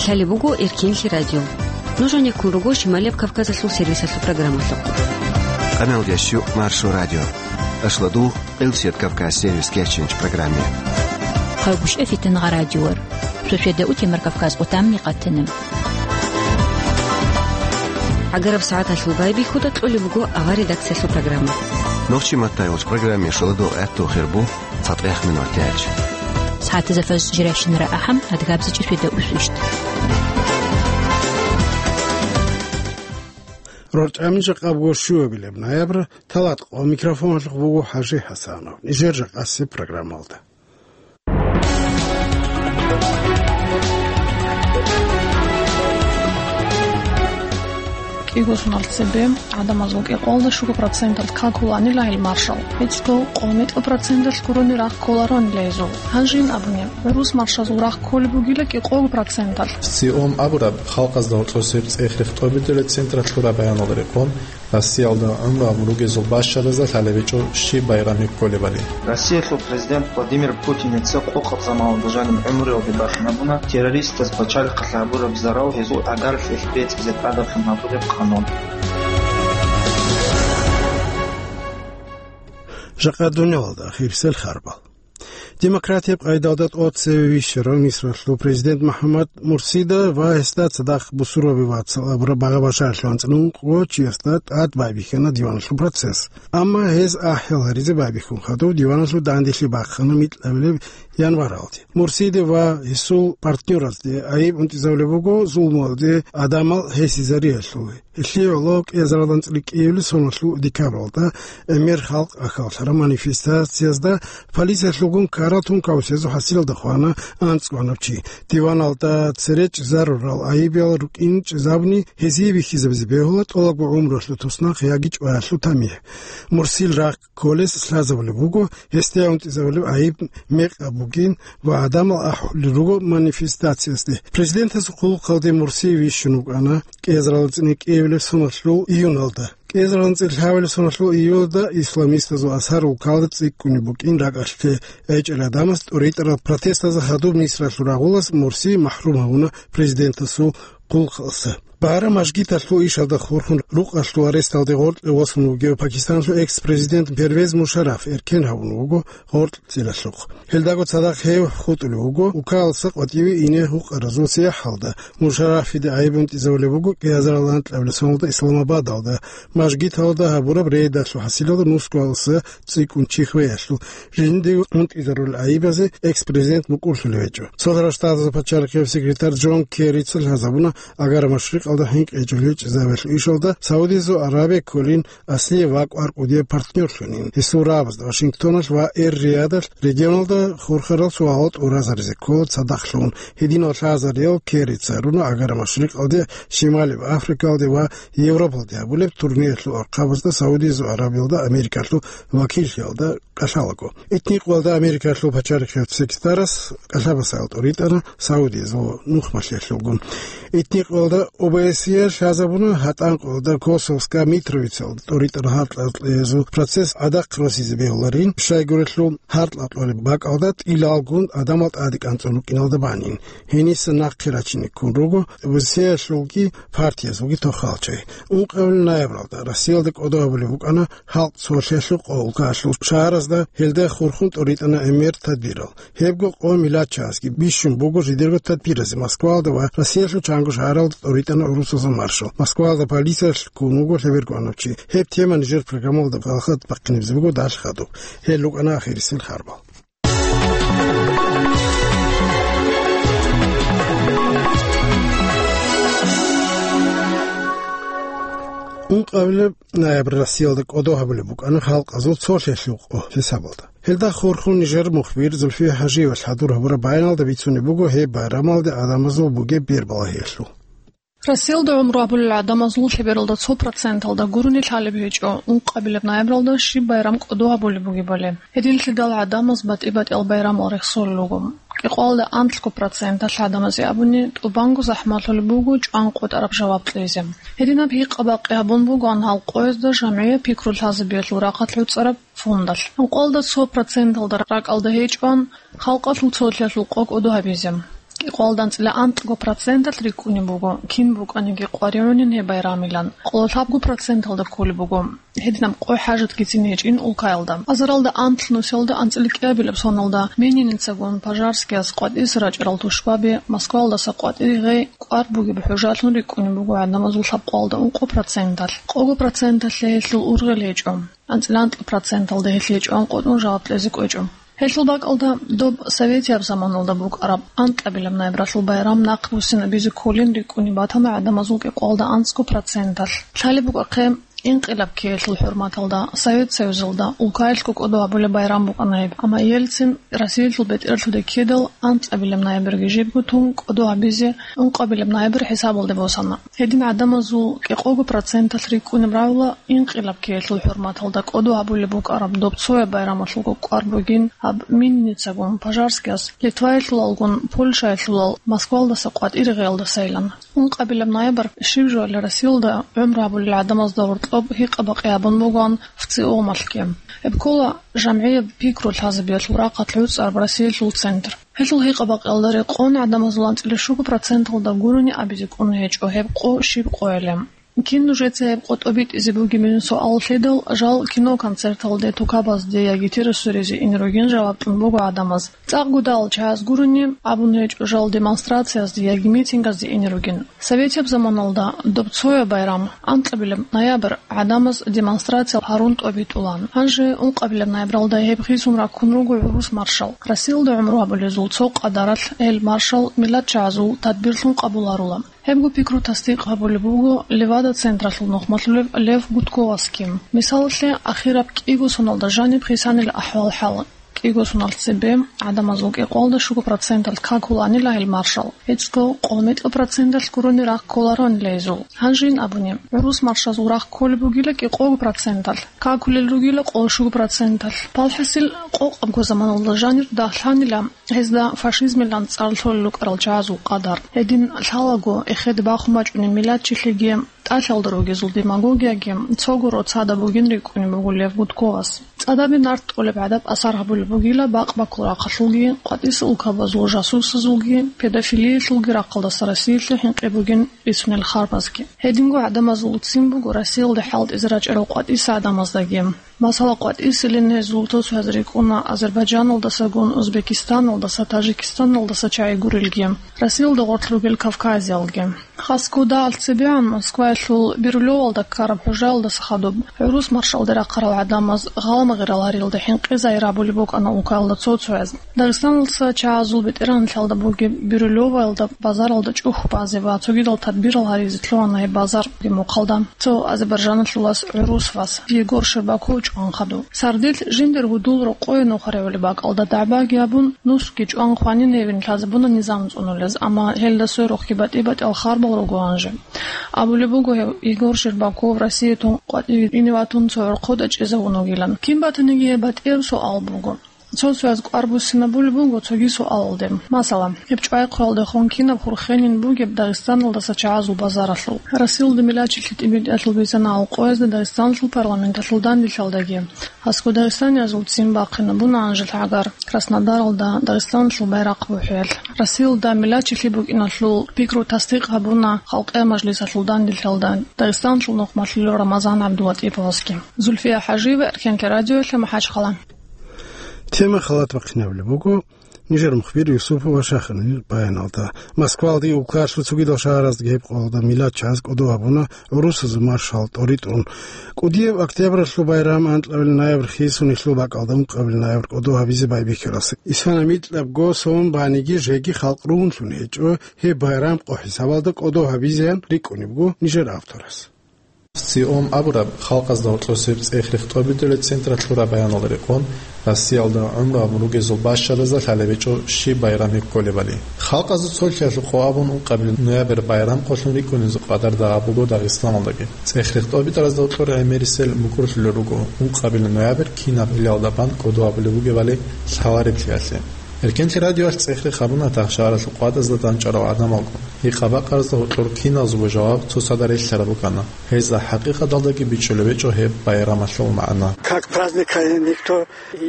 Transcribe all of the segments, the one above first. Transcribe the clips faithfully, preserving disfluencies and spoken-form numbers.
Лъалеб буго Эркинлъи радио. Нуж гьанеккун руго Шималияб Кавказалъул сервисалъул программалъухъ. Къаналдеш юкъ Маршо радио. Ашладу Къилсият Кавказ сервис кеченч программе. Хъагушев Фитнагъа радиор. Суседа утемар Кавказ утамни къатана. Агараб сагӀаталъул байбихьуда кьолеб буго авар редакциялъул программа. Нохчи матайвалч программе шаладу гӀатту хирбу. ЦатӀех минутач. СагӀатазда фаз жирашинара ахӀам, адгабзичӀи светда усвищ. РорчӀами жакъа буго щуабилеб ноябрь, талат къо микрофоналъухъ буго ХӀажи ХӀасанов. Нижер жакъаси программалда. КӀиго соналъ цебе гӀадамазул кӀикъоялда щуго проценталъ какуланила гьел маршал. ГьечӀго къо-метӀго проценталъ гурони рахъ кколаронила гьезул. Гьанжин абуни, гӀурус маршазул рахъ кколеб бугила кӀикъого проценталъ. СИОМ абураб халкъазда гьоркьосеб цӀех-рех тӀобитӀулеб централъ лъураб баяналда рекъон, Россиялда гӀумру гьабун ругезул бащаразда лъалеб гьечӀо щиб байрам кколебали. Россиялъул президент Владимир Путиница къокъаб заманалда жаниб гӀумруялде бахинабуна террористаз пачалихъалъ гьабураб зарал гьезул гӀагаралъе бецӀизе тӀадаблъун гьабулеб къанун. Жакъа дунялалда ахирисел харбал. Демократияб къайдалда тӀоцеве вищарав Мисралъул президент МухӀаммад Мурсида ва гьесда цадахъ бусурбаби вацал абураб багъа-башаралъул анцӀила ункъо чиясда тӀад байбихьана диваналъул процесс. Амма гьез ахӀел гьаризе байбихьун хадув диваналъул данделъи бахъана микьабилеб январалде. Мурсиде ва гьесул партнёразде айиб унтӀизабулеб буго зулмуялде гӀадамал гьесизариялъул. Гьелъие гӀоло кӀиазарал анцӀила кӀиабилеб соналъул декабралда гӀемер халкъ ахьаллъараб манифестациязда полициялъулгун ккарал тункаусезул хӀасилалда хвана анцӀгоанаб чи. Диваналда цере чӀезарурал айибиял рукӀин чӀезабуни гьезие бихьизабизе бегьула тӀолабго гӀумруялъул туснахъ яги чӀваялъул тамихӀ. Мурсил рахъ кколес лъазабулеб буго, гьесда унтӀизабулеб айиб мекъаб бугин ва гӀадамал ахӀулел руго манифестациясде. Президентасул хъулухъалде Мурси вищун вукӀана кӀиазарал анцӀила кӀиабилеб соналъул июналда. КӀиазарал анцӀила лъабабилеб соналъул июлалда исламистазул Азгьар улкалда цӀикӀкӀунеб букӀин ракӀалъе гӀечӀел гӀадамаз тӀуритӀарал протестазда хадуб Мисралъул рагъулас Мурси махӀрум гьавуна президентасул хъулухъалъа. Багьара мажгиталъул ишалда хурхун рукъалъул аресталде гъоркье восун вугев Пакистаналъул экс-президент Первез Мушарраф эркен гьавун вуго гъоркьцӀилалъухъ. Гьелдаго цадахъ гьев хутӀулев вуго улкаласа къватӀиве ине гьукъаразул сияхӀалда. Мушаррафиде айиб унтӀизабулеб буго кӀиазарал анкьабилеб соналда Исламабадалда мажгиталда гьабураб рейдалъул хӀасилалда нусгоялдаса цӀикӀкӀун чи хвеялъул. Жиндие унтӀизарулел айибазе экс-президент мукӀурлъулев гьечӀо. Цолъарал Штатазул пачалихъияб секретарь Джон Керрица лъазабуна Агар-Машрикъалда хӀинкъичӀеб гьечӀезабиялъул ишалда Саудиязул Аравия кколин аслияб ва кӀвар кӀудияб партнёрлъунин. Гьесул рагӀабазда Вашингтоналъ ва Эр-Риядалъ регионалда хурхарал суалал тӀуразаризе ккола цадахълъун. Гьединал лъазариял Керрица гьаруна Агар-Машрикъалде, Шималияб Африкалде ва Европалде гьабулеб турнеялъул архъабазда Саудиязул Аравиялда Америкалъул вакиллъиялда кӀалъалаго. Итникъоялда Америкалъул пачалихъияб секретарас кӀалъабасайал тӀуритӀана Саудиязул нухмалъиялъулгун. Итникъоялда ОБСЕ лъазабуна, гьатӀанкъоялда Косовска Митровицалда тӀуритӀана гьаркьа-гьаркьаязул процесс гӀадахъ росизе бегьуларин, щайгурелъул гьаркьа-гьаркьалъулеб бакӀалда тӀилалгун гӀадамал тӀаде кӀанцӀун рукӀиналда банин. Гьениса нахъе рачине ккун руго ОБСЕялъулги партиязулги тохалчай. Ункъабилеб ноябралда Россиялда кӀодо гьабулеб букӀана халкъ цолъиялъул къо улкалъул шагьаразда, гьелда хурхун тӀуритӀана гӀемер тадбирал. Гьебго къо миллатчагӀазги бищун буго жидерго тадбиразе Москвалда ва Россиялъул чанго шагьаралда тӀуритӀана гӀурусазул маршал. Москвалда полициялъ ккун вуго лъеберго анав чи. Гьеб тема нижер программалда балагьат бахъинабизе буго далъ хадуб. Гьел рукӀана ахирисел харбал. Ункъабилеб ноябрь Россиялда кӀодо гьабулеб букӀана халкъазул цолъиялъул къо хӀисабалда. Гьелда хурхун нижер мухбир Зульфия ХӀажиева хӀадур гьабураб баяналда бицунеб буго гьеб байрамалде гӀадамазул бугеб бербалагьиялъул. Россиялда гӀумру гьабулел гӀадамазул лъебералда цо проценталда гурони лъалеб гьечӀо ункъабилеб ноябралда щиб байрам кӀодо гьабулеб бугебали. Гьединлъидал гӀадамаз батӀи-батӀиял байрамал рехсолел руго. КӀикъоялда анлъго проценталъ гӀадамазе абуни, тӀубанго захӀмалъулеб буго чӀван къотӀараб жаваб кьезе. Гьединаб гьикъа-бакъи гьабун бугоан гьал къоязда жамгӀияб пикру лъазабиялъул рахъалъ гӀуцӀараб фондалъ. Ункъоялда цо проценталда ракӀалда гьечӀоан халкъалъул цолъиялъул къо кӀодо гьабизе. Къоялда анцӀила анкьго проценталъ рикӀкӀунеб буго, кин букӀаниги къваригӀунин гьеб байрамилан. Къоло лъабго проценталда кколеб буго. Гьединаб къо хӀажатгицин гьечӀин улкаялда. Азаралда анлъ нусиялда анцӀила кӀиабилеб соналда Мининицагун Пожарскияс къватӀиса рачӀарал тушбаби, Москваялдаса къватӀире гъей, кӀвар бугеб хӀужалъун рикӀкӀунеб буго гӀадамазул лъабкъоялда ункъо проценталъ. Къого проценталъе гьелъул ургъел гьечӀо. АнцӀила анкьа проценталда гьелъие чӀван къотӀун жаваб кьезе кӀвечӀо. Гьелъул бакӀалда доб советияб заманалда букӀараб анкьабилеб ноябралъул байрам нахъ буссинабизе кколин рикӀкӀунеб батана гӀадамазул кӀикъоялда анцӀго проценталъ. Лъалеб букӀахъе, инкъилаб ккеялъул хӀурматалда Совет Союзалда улкаялъго кӀодо гьабулеб байрам букӀана гьеб, амма Ельцин Россиялъул бетӀералъуде ккедал анкьабилеб ноябрги жибго тун кӀодо гьабизе ункъабилеб ноябрь хӀисабалде босана. Гьедин гӀадамазул кӀикъого проценталъ рикӀкӀунеб равила инкъилаб ккеялъул хӀурматалда кӀодо гьабулеб букӀараб доб цояб байрамалъулго кӀвар бугин гьаб Минницагун Пожарскияс, Литваялъулалгун Польшаялъулал Москвалдаса къватӀире гъеялдасайилан. Ункъабилеб ноябрь щиб жоялъе Россиялда гӀумру гьабулел гӀадамазда гьоркьоб гьикъа-бакъи гьабун бугоан ВЦИОМалъги. Гьеб ккола жамгӀияб пикру лъазабиялъул рахъалъ гӀуцӀараб Россиялъул центр. Гьелъул гьикъа-бакъиялда рекъон гӀадамазул анцӀила щуго проценталда гурони абизе кӀун гьечӀо гьеб къо щиб къоялъе. Кин нужеца гьеб къо тӀобитӀизе бугебин суал лъидал, жал кино-концерталде, тукабазде яги террасаялде ине ругин жаваб кьун буго гӀадамаз. ЦӀакъ гудал чагӀаз гурони абун гьечӀо жал демонстрациязде яги митингазде ине ругин. Советияб заманалда доб цояб байрам, анкьабилеб ноябрь, гӀадамаз демонстрация гьарун тӀобитӀулаан. Гьанже ункъабилеб ноябралда гьеб хисун раккун руго гӀурус маршал. Россиялда гӀумру гьабулезул цо къадаралъ гьел маршал миллатчагӀазул тадбирлъун къабуларула. Гьебго пикру тасдикъ гьабулеб буго Левада-централъул нухмалъулев Лев Гудковасги. Мисалалъе, ахираб кӀиго соналда жаниб хисанила ахӀвал-хӀал. КӀиго соналъ цебе гӀадамазул кӀикъоялда щуго проценталъ какулаанила гьел маршал. ГьечӀго къоло мекьа проценталъ гурони рахъ кколароанила гьезул. Гьанжин абуни, гӀурус маршазул рахъ кколеб бугила кӀикъого проценталъ, какулел ругила къоло щуго проценталъ. Палхасил къокъабго заманалда жанир дагьлъанила гьезда фашизмилан цӀар лъолел рукӀарал чагӀазул къадар. Гьедин лъалаго эхеде бахун бачӀунеб миллатчилъиги, тӀалъалда ругезул демагогияги цого роцада бугин рикӀкӀунеб буго Лев Гудковас. ЦӀадабе нарт кьолеб гӀадаб асар гьабулеб бугила бакъ-баккул рахъалъулги, къватӀиса улкабазул жасусазулги, педофилиялъулги рахъалдаса Россиялъе хӀинкъи бугин бицунел харбазги. Гьединго гӀадамазул ццин буго Россиялде хӀалтӀизе рачӀарал къватӀиса гӀадамаздаги. Масала, къватӀисилин гьезул цо-цояз рикӀкӀуна Азербайджаналдасагун, Узбекистаналдаса, Тажикистаналдаса чагӀи гурелги, Россиялда гъорлъ ругел кавказиялги. Хасго дагьалъ цебегӀан Москваялъул Бирюлевалда ккараб хӀужаялдаса хадуб гӀурус маршалде рахъарал гӀадамаз гъала-магъирал гьариялда хӀинкъи загьир гьабулеб букӀана улкаялда цо-цояз. Дагъистаналдаса чагӀазул бетӀергьанлъиялда бугеб Бирюлеваялда базаралда чӀухь базе ва цогидал тадбирал гьаризе лъугьана гьеб базар. Мухъалда цо азербайджаналъулас гӀурус вас Егор Щербаков чӀван хадуб. Сардилъ жиндир гьудул рокъое нухаревали бакӀалда дагӀбаги гьабун, нусги чӀван хванин гьевин лъазабуна низам цӀунулез, амма гьелда сверухъги батӀи-батӀиял харбал руго гьанже. Абулеб буго гьев, Егор Щербаков Россиятун къватӀиве ине ватун цо гӀорхъода чӀезавун вугилан. Кин батаниги гьеб батӀияб суал буго. Цо-цояз кӀвар буссинабулеб буго цоги суалалде. Масала, гьеб чӀвай хъвалдехун кинаб хурхенин бугеб Дагъистаналдаса чагӀазул базаралъул? Россиялда миллатчилъи тӀибитӀиялъул бицана гьал къоязда Дагъистаналъул парламенталъул данделъалдаги, гьасго дагъистаниязул ццин бахъинабуна гьанжел гӀагар Краснодаралда Дагъистаналъул байрахъ бухӀиялъ. Россиялда миллатчилъи букӀиналъул пикру тасдикъ гьабуна Халкъиял мажлисалъул данделъалда Дагъистаналъул нухмалъулев Рамазан ГӀабдулатӀиповасги. Зульфия ХӀажиева, Эркенлъи радиоялъе, МахӀачхъала. Тема халат бахъинабулеб буго нижер мухбир Юсупова Шахинил баяналда. Москвалдаги улкаялъул цогидал шагьараздаги гьеб къоялда миллатчагӀаз кӀодо гьабуна гӀурусазул маршал тӀоритӀун. КӀудияб октябралъул байрам, анкьабилеб ноябрь хисун, гьелъул бакӀалда ункъабилеб ноябрь кӀодо гьабизе байбихьулас. Исана микьабго сон баниги жеги халкъ ругьунлъун гьечӀо гьеб байрам къо хӀисабалда кӀодо гьабизеян рикӀкӀунебго нижер авторас. ВЦИОМ абураб халкъазда гьоркьосеб цӀех-рех тӀобитӀулел централъ лъураб баяналда рекъон, Россиялда гӀумру гьабун ругезул бащаразда лъалеб гьечӀо щиб байрам гьеб кколебали. Халкъазул цолъиялъухъ абун ункъабилеб ноябрь байрам къолъун рикӀкӀунезул къадарда гьаб буго Дагъистаналдаги. ЦӀех-рех тӀобитӀаразда гьоркьор гӀемерисел мукӀурлъулел руго ункъабилеб ноябрь кинаб гьелалда бан кӀодо гьабулеб бугебали лъалареблъиялъе. Эркенлъи радиоялъ цӀехги гьабуна тахшаралъул къватӀазда дандчӀварал гӀадамалгун. Гьикъа-бакъаразда гьоркьор киназего жаваб цоцазда релълъараб букӀана. Гьезда хӀакъикъаталдаги бичӀчӀулеб гьечӀо гьеб байрамалъул магӀна. Как праздник, никто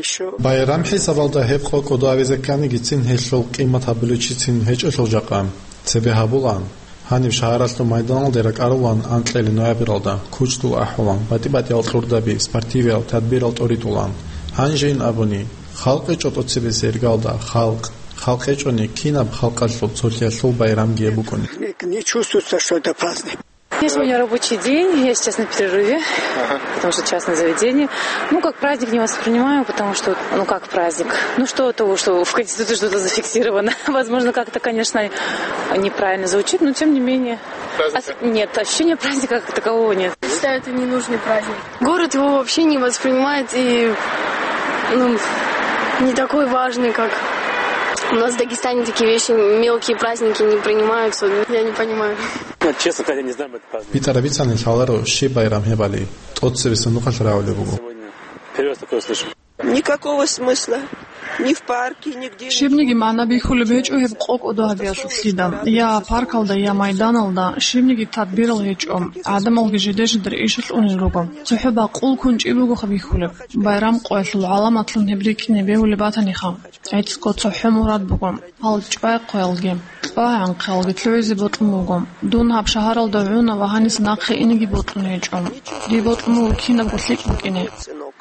ещё. Байрам хӀисабалда гьеб къо кӀодо гьавизе кканигицин гьелъул къимат гьабулев чицин гьечӀелъул жакъа. Цебе гьабулаан. Гьаниб шагьаралъул майданалде ракӀарулаан анкьили ноябралда, кучдул ахӀулаан, батӀи-батӀиял кьурдаби, спортивиял тадбирал тӀоритӀулаан. Гьанжейин абуни, халкъ гьечӀо тӀоцебесеб иргалда, халкъ. Халкъ гьечӀони, кинаб халкъалъул цолъиялъул байрамги гьеб букӀуни. Не, не чувствуется, что это праздник. Сегодня рабочий день, я сейчас на перерыве, потому что частное заведение. Ну, как праздник не воспринимаю, потому что, ну, как праздник? Ну, что от того, что в Конституции что-то зафиксировано? Возможно, как-то, конечно, неправильно звучит, но тем не менее. Праздника? Ос-, нет, ощущения праздника как такового нет. Считаю, это ненужный праздник. Город его вообще не воспринимает и, ну, не такой важный, как у нас в Дагестане такие вещи, мелкие праздники не принимаются. Я не понимаю. Ну, честно сказать, я не знаю об этом празднике. БитӀараб бицани лъаларо щиб байрам гьебали, тӀоцебесеб нухалъ рагӀулеб буго. Сегодня первый раз такое слышу. Никакого смысла. Ни в парке, нигде. Щибниги магӀна бихьулеб гьечӀо гьеб къо кӀодо гьабиялъулъ лъида, я паркалда, я майданалда, щибниги тадбирал гьечӀо, гӀадамалги жиде-жидер ишалъ унел руго. ЦохӀо бакъул кунчӀи бугоха бихьулеб. Байрам къоялъул гӀаламатлъун гьеб рикӀкӀине бегьулеб батаниха. ГӀицӀго цохӀо мурад буго. Гьал чӀвай-хъваялги, кьвагӀанхъиялги лъугӀизе бокьун буго. Дун гьаб шагьаралда гӀуна ва гьаниса нахъе инеги бокьун гьечӀо. Дие бокьун буго кинабго лъикӀ букӀине.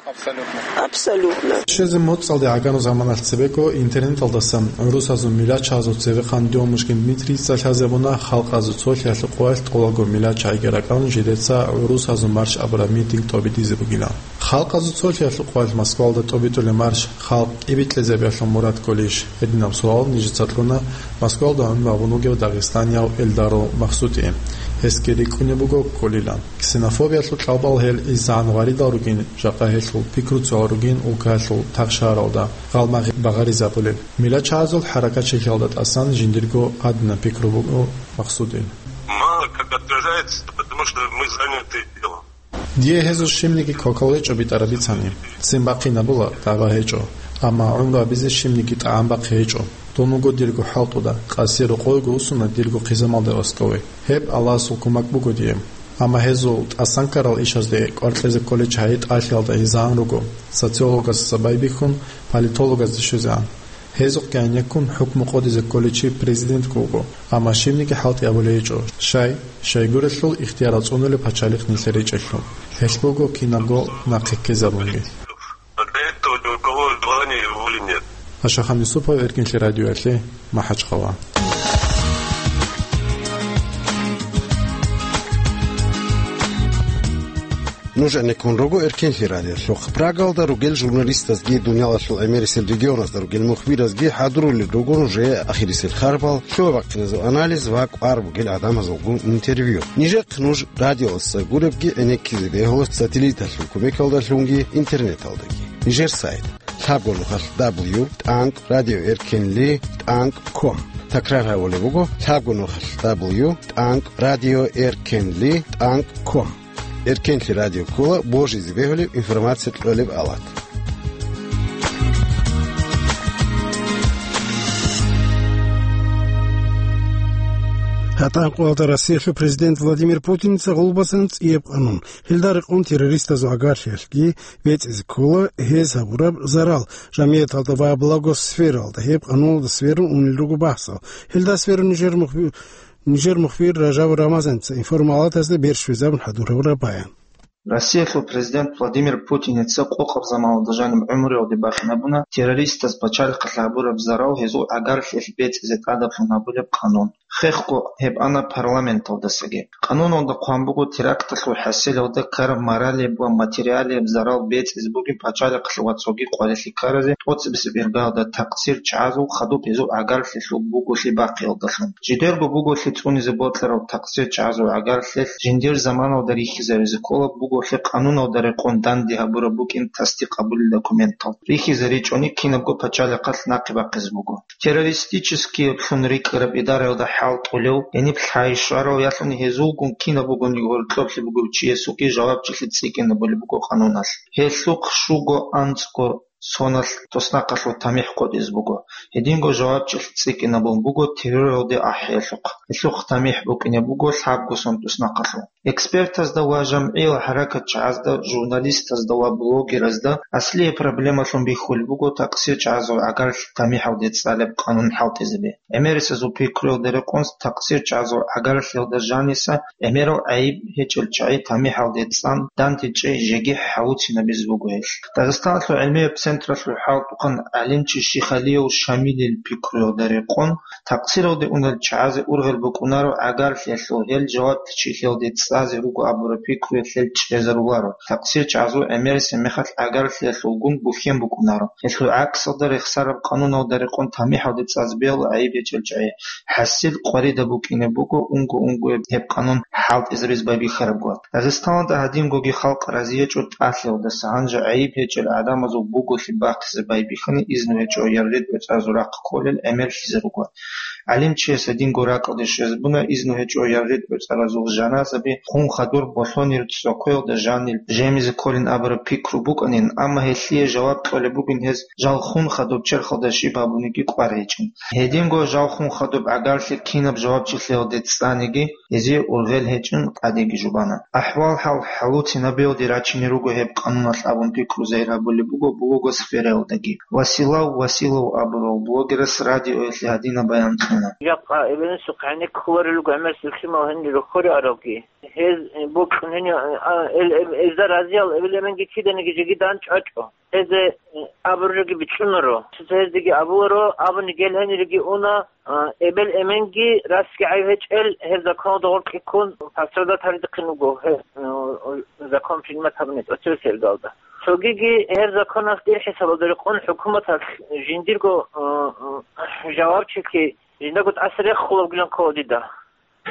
Абсолютно. Абсолютно. Щвезе моцӀалде гӀагарун заманалъ цебего интернеталдасан гӀурусазул милачагьазул цевехъан Дёмушкин Дмитрийица лъазабуна халкъазул цолъиялъул къоялъ тӀолабго милачагьиги ракӀалун жидеца гӀурусазул марш абураб митинг тӀобитӀизе бугилан. Халкъазул цолъиялъул къоялъ Москвалда тӀобитӀулеб марш халкъ тӀибитӀизабиялъул мурад кколищ? Гьединаб суал нижеца кьуна Москвалда гӀумру гьабун вугев дагъистанияв Эльдарул Махсуде. Гьесги рикӀкӀунеб буго кколилан. Ксенофобиялъул кьалбал гьел изегӀан гъваридал ругин, жакъа гьелъул пикруцал ругин улкаялъул тахшаралда гъалмагъи багъаризабулел. Милачагьазул хӀаракатчилъиялда тӀасан жиндирго гьадинаб пикру буго Махсудил. Мало как отражается, потому что мы заняты делом. Дие гьезул щибниги квакал гьечӀо битӀараб бицани. Ццин бахъинабула, дагӀба гьечӀо. Амма гӀумру гьабизе щибниги тӀагӀам бахъи гьечӀо. Дун вуго дирго хӀалтӀуда, къаси рокъовего вуссуна дирго хъизамалде васдове. Гьеб Аллагьасул кумак буго дие. Амма гьезул тӀасан ккарал ишазде кӀвар кьезе кколей чагьи тӀалъиялда гьезегӀан руго, социологасдаса байбихьун, политологазде щвезегӀан. Гьезухъ гӀенеккун хӀукму къодизе кколей чи президентго вуго, амма щибниги хӀалтӀи гьабулей гьечӀо. Щай? Щайгурелъул ихтияр цӀунулеб пачалихъ нилъер речӀелъул. Гьелъ буго кинабго нахъе ккезабунги. Для этого ни у кого желания и воли нет. Ашахан Юсупов, Эркенлъи радиоялъе, МахӀачхъала. Нуж гӀенеккун руго Эркенлъи радиолъухъ. Прагалда ругел журналистазги, дуниялалъул гӀемерисел регионазда ругел мухбиразги хӀадурулел руго нужее ахирисел харбал, лъугьа-бахъиназул анализ ва кӀвар бугел гӀадамазулгун интервью. Нижехъ нуж радиоялдаса гуребги гӀенеккизе бегьула сателлиталъул кумекалдалъунги интернеталдаги. Нижер сайт: лъабго нухалъ дабл ю тӀанкӀ радио эркенли тӀанкӀ ком. Такрар гьабулеб буго: лъабго нухалъ дабл ю тӀанкӀ радио эркенли тӀанкӀ ком. Эркенлъи радио ккола божизе бегьулеб информация кьолеб авлад. ГьатӀан къоялда Россиялъул президент Владимир Путиница гъулбасан цӀияб къанун. Гьелда рекъон террористазул гӀагарлъиялъги бецӀизе ккола гьез гьабураб зарал жамигӀаталда ва благосфералда. Гьеб къануналда сверун унел руго бахӀсал. Гьелда сверун нижер мухби-, нижер мухбир Ражабов Рамазаница информ-палатазда берщвезабун хӀадурабураб баян. Россиялъул президент Владимир Путиница къокъаб заманалда жаниб гӀумруялде бахинабуна террористаз пачалихъалъ гьабураб зарал гьезул гӀагарлъиялъ бецӀизе тӀадаблъун гьабулеб къанун. Хехго гьеб ана парламенталдасаги. Къануналда хъван буго теракталъул хӀасилалда ккараб моралияб ва материалияб зарал бецӀизе бугеб пачалихъалъ ва цоги къварилъи ккаразе тӀоцебесеб иргаялда такъсир чагӀазул хадуб гьезул гӀагарлъиялъул буголъи бахъиялдалъун. Жидерго буголъи цӀунизе бокьарал такъсир чагӀазул гӀагарлъиялъ жиндир заманалда рихьизаризе ккола буголъи къануналда рекъон данде гьабураб букӀин тасдикъ гьабулел документал. РихьизаричӀони кинабго пачалихъалъ нахъе бахъизе буго. Террористическиеблъун рикӀкӀараб идараялда хӀалтӀулев, гьениб лъай-щвараялъун гьезулгун кинаб бугониги гьоркьоблъи бугев чиясухъе жавабчилъи цӀикӀкӀинабулеб буго къануналъ. Гьелъухъ щуго анцӀго соналъ туснахъалъув тамихӀ къотӀизе буго. Гьединго жавабчилъи цӀикӀкӀинабун буго терроралде ахӀиялъухъ. Гьелъухъ тамихӀ букӀине буго лъабго сон туснахъалъув. Экспертазда ва жамгӀиял хӀаракатчагӀазда, журналистазда ва блогеразда аслие проблемалъун бихьулеб буго такъсир чагӀазул гӀагарлъи тамихӀалде цӀалеб къанун хӀалтӀизаби. ГӀемерисезул пикруялда рекъон такъсир чагӀазул гӀагарлъиялда жаниса гӀемерал гӀайиб гьечӀел чагӀи тамихӀалде цӀан дандечӀей жеги хӀалуцинабизе буго гьелъ. Дагъистаналъул гӀилмияб централъул хӀалтӀухъан гӀалимчи Шихалиев Шамилил пикруялда рекъон, такъсиралде унел чагӀазе ургъел букӀунаро гӀагарлъиялъул гьел жавабтичилъиялде цӀазе руго абураб пикруялъ гьел чӀезаруларо. Такъсир чагӀазул гӀемерисеб мехалъ гӀагарлъиялъулгун бухьен букӀунаро. Гьелъул гӀаксалда рехсараб къануналда рекъон тамихӀалде цӀазе бегьула гӀайиб гьечӀел чагӀи. ХӀасил къваридаб букӀине буго унго-унгояб гьеб къанун хӀалтӀизабизе байбихьараб гуро. Дагъистаналда гьадингоги халкъ разиячӀо тӀалъиялдаса, гьанже гӀайиб гьечӀел гӀадамазул буголъи бахъизе байбихьани изну гьечӀо яргъи-тӀоцӀаразул рахъ кколел гӀемерлъизе руго. ГӀалимчияс гьадинго ракӀалде щвезабуна изну гьечӀо яргъи-тӀоцӀаразул жаназаби хун хадур болъонир цӀокъоялда жанир жемизе кколин абураб пикру букӀанин, амма гьелъие жаваб кьолеб бугин гьез жал хун хадуб черхалда щиб гьабуниги кӀвар гьечӀин. Гьединго жал хун хадуб гӀагарлъи кинаб жавабчилъиялде цӀаниги, гьезие ургъел гьечӀин къадиги жубана. АхӀвал-хӀал хӀалуцинабиялде рачине руго гьеб къануналъ абун пикру загьир гьабулеб буго блогосфераялдаги. Василав Василов абурав блогерас радиоялъе гьадинаб баян кьуна. Жакъа эбелинсухъ гӀенеккуларел руго гӀемерисел лъимал гьенир рохьоре аралги. Гьез, э, бокьун гьенив, а, эл-, эм-, эзда разиял эбел-эменги киданиги жеги дандчӀвачӀо. Гьезде, э, абуржеги бицунаро. Цо-цо гьездеги абуларо, абуни гел гьениреги уна, а, эбел-эменги расги гӀайб гьечӀел гьеб законалда гъоркье ккун пострадать гьаридихъин вуго, гьеб, э, закон принимать гьабуни тӀоцевесеб иргалда. Цогиги гьеб законалъ дир хӀисабалда рекъон хӀукуматалъ жиндирго, э, э, жавабчилъи жиндаго тӀаса рехулеб гилан ккола дида.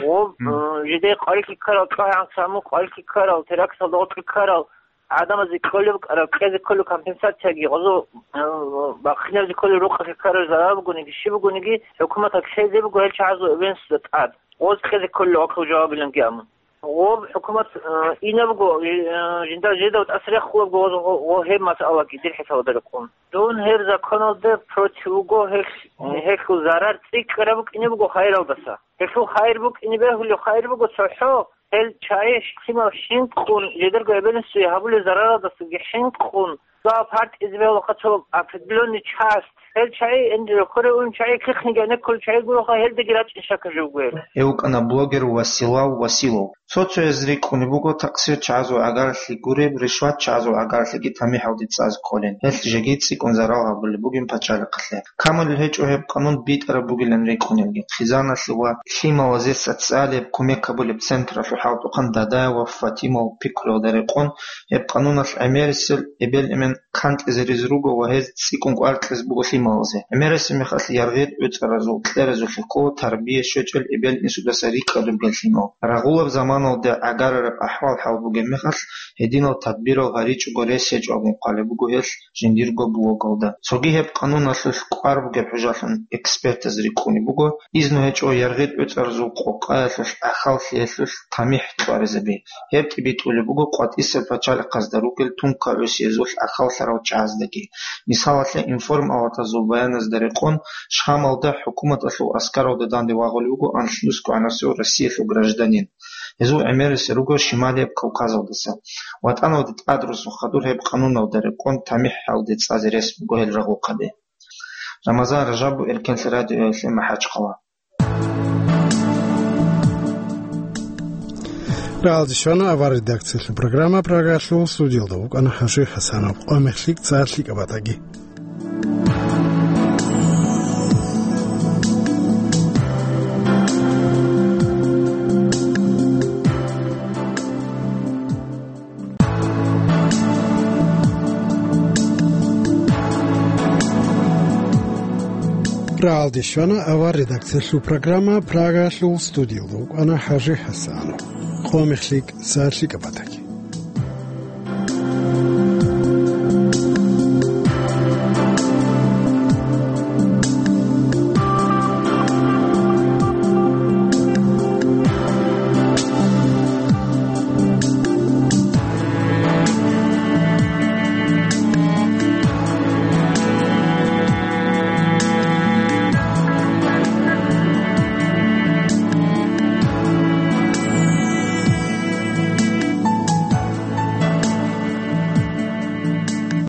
Гъоб, Мгм. э, жидее къварилъи ккарал, тӀагӀан саму къварилъи ккарал, теракталда гъоркье ккарал гӀадамазе кколеб букӀараб, кьезе кколеб компенсацияги, гъозо, э, бахъинабизе кколеб рукъалъе ккарал зарал бугониги, щиб бугониги, хӀукуматалъ лъезе буго гьел чагӀазул эбелинсуда тӀад. Гъоз кьезе кколел вахъав жавабиланги амун. Гъоб хӀукумат, э, инабго, э, жинда жидав тӀаса рехулебго гъоз гъо-, гъо гьеб масъалаги дир хӀисабалда рекъон. Дун гьеб законалде против вуго, гьелъ-, Мгм. гьелъул зарар цӀикӀкӀараб букӀине буго хайралдаса. Гьелъул хайир букӀине бегьулев хайир буго цохӀо, гьел чагӀи лъимал хӀинкъун, жидерго эбелинсуе гьабулеб зараралдасаги хӀинкъун, дагьаб партизе бегьулаха цо определённый часть. Гьел чагӀи, энде рохьоре ун чагӀи, кихниги гӀенеккулел чагӀи гуроха, гьелдаги рачӀин щака жо гуэр. Гьев вукӀана блогер Василав Василов. Цо-цояз рикӀкӀунеб буго такъсир чагӀазул гӀагарлъи гуреб, ришват чагӀазул гӀагарлъиги тамихӀалде цӀазе кколин. Гьелъ жеги цӀикӀкӀун зарал гьабулеб бугин пачалихъалъе. Камулел гьечӀо гьеб къанун битӀараб бугилан рикӀкӀунелги. Хъизаналъе ва лъималазе социалияб кумек гьабулеб централъул хӀалтӀухъан Дадаева Фатимал пикруялда рекъон, гьеб къануналъ гӀемерисел эбел-эмен канлъизаризе руго ва гьез цӀикӀкӀун кӀвар кьезе буго лъималазе. ГӀемерисеб мехалъ яргъи-тӀоцӀаразул кьеразулъе ккола тарбия щвечӀел эбел-инсудаса рикӀкӀад ругел лъимал. Рагъулаб заманалда гӀагарараб ахӀвал-хӀал бугеб мехалъ, гьединал тадбирал гьаричӀого рес гьечӀо абун хъвалеб буго гьелъ жиндирго блогалда. Цоги гьеб къануналъулъ кӀвар бугеб хӀужалъун экспертаз рикӀкӀунеб буго, изну гьечӀо яргъи-тӀоцӀаразул къокъаялъулъ, ахьаллъиялъулъ тамихӀ кьваризаби. Гьеб тӀибитӀулеб буго къватӀисел пачалихъазда ругел тункагӀусиязулъ ахьаллъарал чагӀаздаги. Мисалалъе, информалатазул баяназда рекъон, Шамалда хӀукуматалъул аскаралда данде вагъулев вуго анлънусго гӀанасев Россиялъул гражданин. Гьезул гӀемерисел руго Шималияб Кавказалдаса. ВатӀаналде тӀад росун хадур гьеб къануналда рекъон тамихӀалде цӀазе рес буго гьел рагъухъаби. Рамазан Ражабов, Эркенлъи радиоялъе, МахӀачхъала. Рагьалде щвана авар редакциялъул программа, Прагалъул студиялда вукӀана ХӀажи ХӀасанов. Къо мехлъи цӀар лъикӀаб батаги. Рагьалде щвана авар редакциялъул программа, Прагалъул студиялда вукӀана ХӀажи ХӀасанов. Къо мехлъи цӀар лъикӀаб батаги.